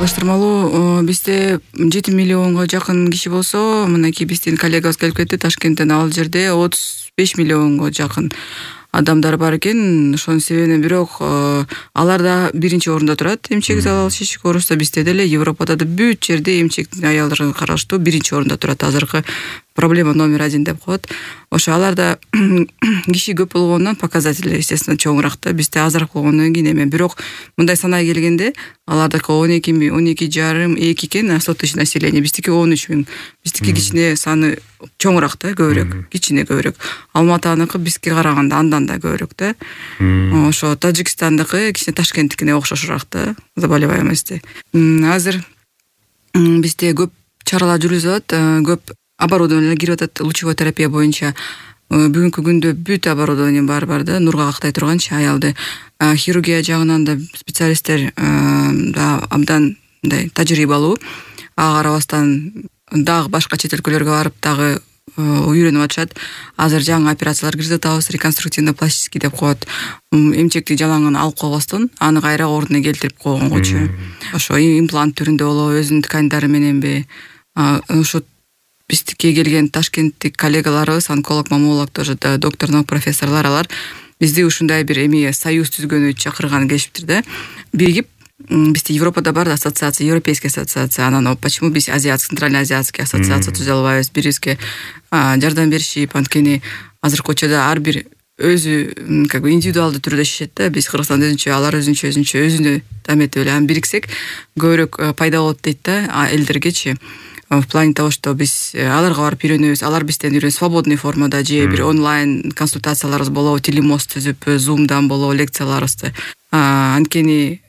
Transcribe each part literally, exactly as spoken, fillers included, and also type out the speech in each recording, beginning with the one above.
Салыштырмалуу бизде жети миллионго жакын киши болсо, мынакей биздин коллегабыз келип кетти Ташкенттен, ал жерде отуз беш миллионго жакын адамдар бар экен. Ошонун себебинен бирок алар да биринчи орунда турат. Эмчек залал шишик оорусу бизде деле, Европада да бүт жерде эмчектин аялдарын караштуу биринчи орунда турат. Азыркы проблема номер один деп коет. Ошо аларда киши көп болгондон показатели естественно чоңураак да, бизде азыраак болгондон кийин эме. Бирок мындай санай келгенде алардыкы он эки миң, он эки жарым, эки экен сто тысяч население, биздики он үч миң. Биздики кичине саны чоңураак да, көбүрөөк, кичине көбүрөөк. Алматаныкы бизге караганда андан да көбүрөөк да. Ошо Тажикстандыкы кичине Ташкенттикине окшошураак да, заболеваемости. Азыр бизде көп чаралар жүргүзүлөт, көп оборудование кирип атат лучевой терапия боюнча. Бүгүнкү күндө бүт оборудование бар бар да, нурга актай турганчы аялды. Хирургия жагынан да специалисттер да абдан мындай тажрыйбалуу. Ага карабастан дагы башка чет өлкөлөргө барып дагы үйрөнүп атышат. Азыр жаңы операциялар киргизип атабыз, реконструктивно пластический деп коет. Эмчекти жалаңын алып койбостон, аны кайра ордуна келтирип койгонгочу. Ошо имплант түрүндө болобу, өзүнүн тканьдары мененби. Ошо биздикке келген ташкенттик коллегаларыбыз, онколог, маммолог, тоже доктор наук профессорлор, алар бизди ушундай бир эми союз түзгөнү чакырган келишиптир да. Биригип, бизде Европада бар ассоциация, европейская ассоциация, анан почему биз азиатский, центрально-азиатский ассоциация түзө албайбыз, бирибизге жардам беришип, анткени азыркы учурда ар бир өзү как бы индивидуалдуу түрдө шешет да. Биз Кыргызстан өзүнчө, алар өзүнчө, өзүнчө өзүнө таметип эле, аны бириксек көбүрөөк пайда болот дейт да элдергечи. В плане того, что биз аларга барып үйрөнөбүз, алар бизден үйрөнөт свободный формада, же бир онлайн консультацияларыбыз болобу, телемост түзүп, зумдан болобу лекцияларыбызды. Анткени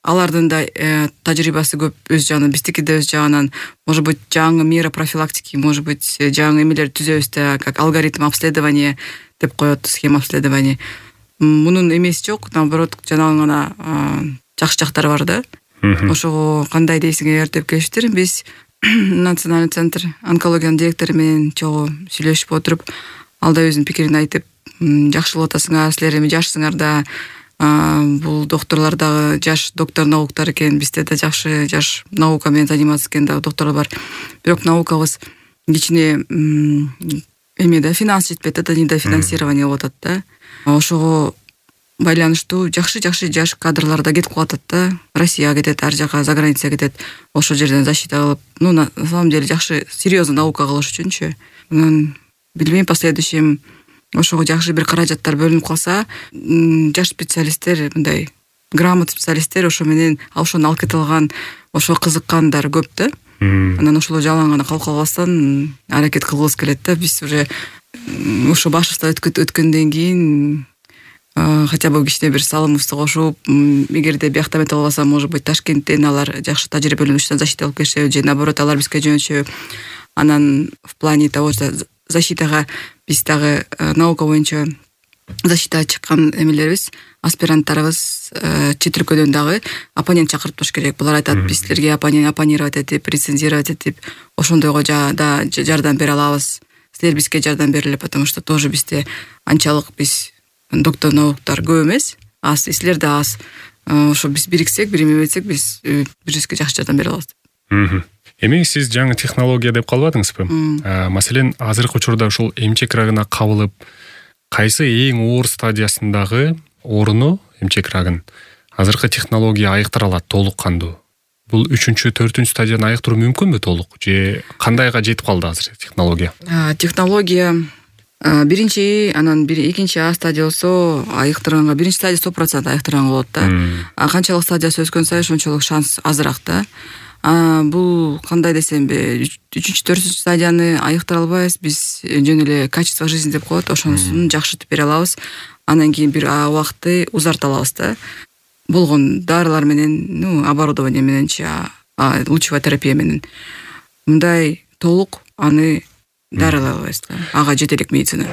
алардын да тажрыйбасы көп өз жагынан, биздики да өз жагынан, может быть, жаңы мера профилактики, может быть, жаңы эмелер түзөбүз да, как алгоритм обследования деп коет, схема обследования. Мунун эмеси жок, наоборот, жанагы гана жакшы жактары бар да. Ошого кандай дейсиңер деп келиштир. Биз Национальный центр онкологиянын директору менен чогуу сүйлөшүп отуруп, ал да өзүнүн пикирин айтып, жакшы болуп атасыңар, силер эми жашсыңар да, бул докторлор дагы жаш доктор науктар экен, бизде да жакшы жаш наука менен заниматься экен да докторлор бар. Бирок наукабыз кичине эме да, финанс жетпейт да, недофинансирование болуп атат да. Ошого байланыштуу жакшы-жакшы жаш кадрлар да кетип калат да. Россияга кетет, ар жака, за границага кетет. Ошол жерден защита кылып, ну, на самом деле жакшы, серьезно наука кылыш үчүнчү. Анан билбейм, последующем ошого жакшы бир каражаттар бөлүнүп калса, жаш специалисттер, мындай грамотный специалисттер ошо менен ошону алып кете алган, ошо кызыккандар көп да. Анан ошол жалаң гана калып калбастан аракет кылгыбыз келет да. Биз уже ошо башыбыздан өткөндөн кийин хотя бы кичине бир салымыбызды кошуп, эгерде биякта эмете албаса, может быть, Ташкенттен алар жакшы тажрыйбалуу защита алып келишеби, же наоборот алар бизге жөнөтүшөбү. Анан в плане того, что защитага биз дагы наука боюнча защитага чыккан эмелерибиз, аспиранттарыбыз чет өлкөдөн дагы оппонент чакырып туруш керек. Булар айтат, биз силерге оппонировать этип, рецензировать этип, ошондойго да жардам бере алабыз. Силер бизге жардам бергиле, потому что тоже бизде анчалык биз доктор науктар көп эмес, аз, силер да аз. Ошо биз бириксек, бир эме этсек, биз бирибизге жакшы жардам бере алабыз. Эми сиз жаңы технология деп калбадыңызбы? Маселен, азыркы учурда ушул эмчек рагына кабылып, кайсы эң оор стадиясындагы ооруну, эмчек рагын, азыркы технология айыктыра алат толук кандуу? Бул үчүнчү, төртүнчү стадияны айыктыруу мүмкүнбү толук? Же кандайга жетип калды азыр технология? Технология биринчи, анан бир экинчи А стадия болсо айыктырганга, биринчи стадия сто процент айыктырганга болот да. А канчалык стадиясы өскөн сайын ошончолук шанс азыраак да. А бул кандай десемби, үчүнчү, төртүнчү стадияны айыктыра албайбыз, биз жөн эле качество жизни деп коет, ошонусун жакшыртып бере алабыз. Анан кийин бир убакытты узарта алабыз да. Болгон дарылар менен, ну, оборудование мененчи, лучевая терапия менен. Мындай толук аны дарылай албайбыз да. Ага жетелик медицина.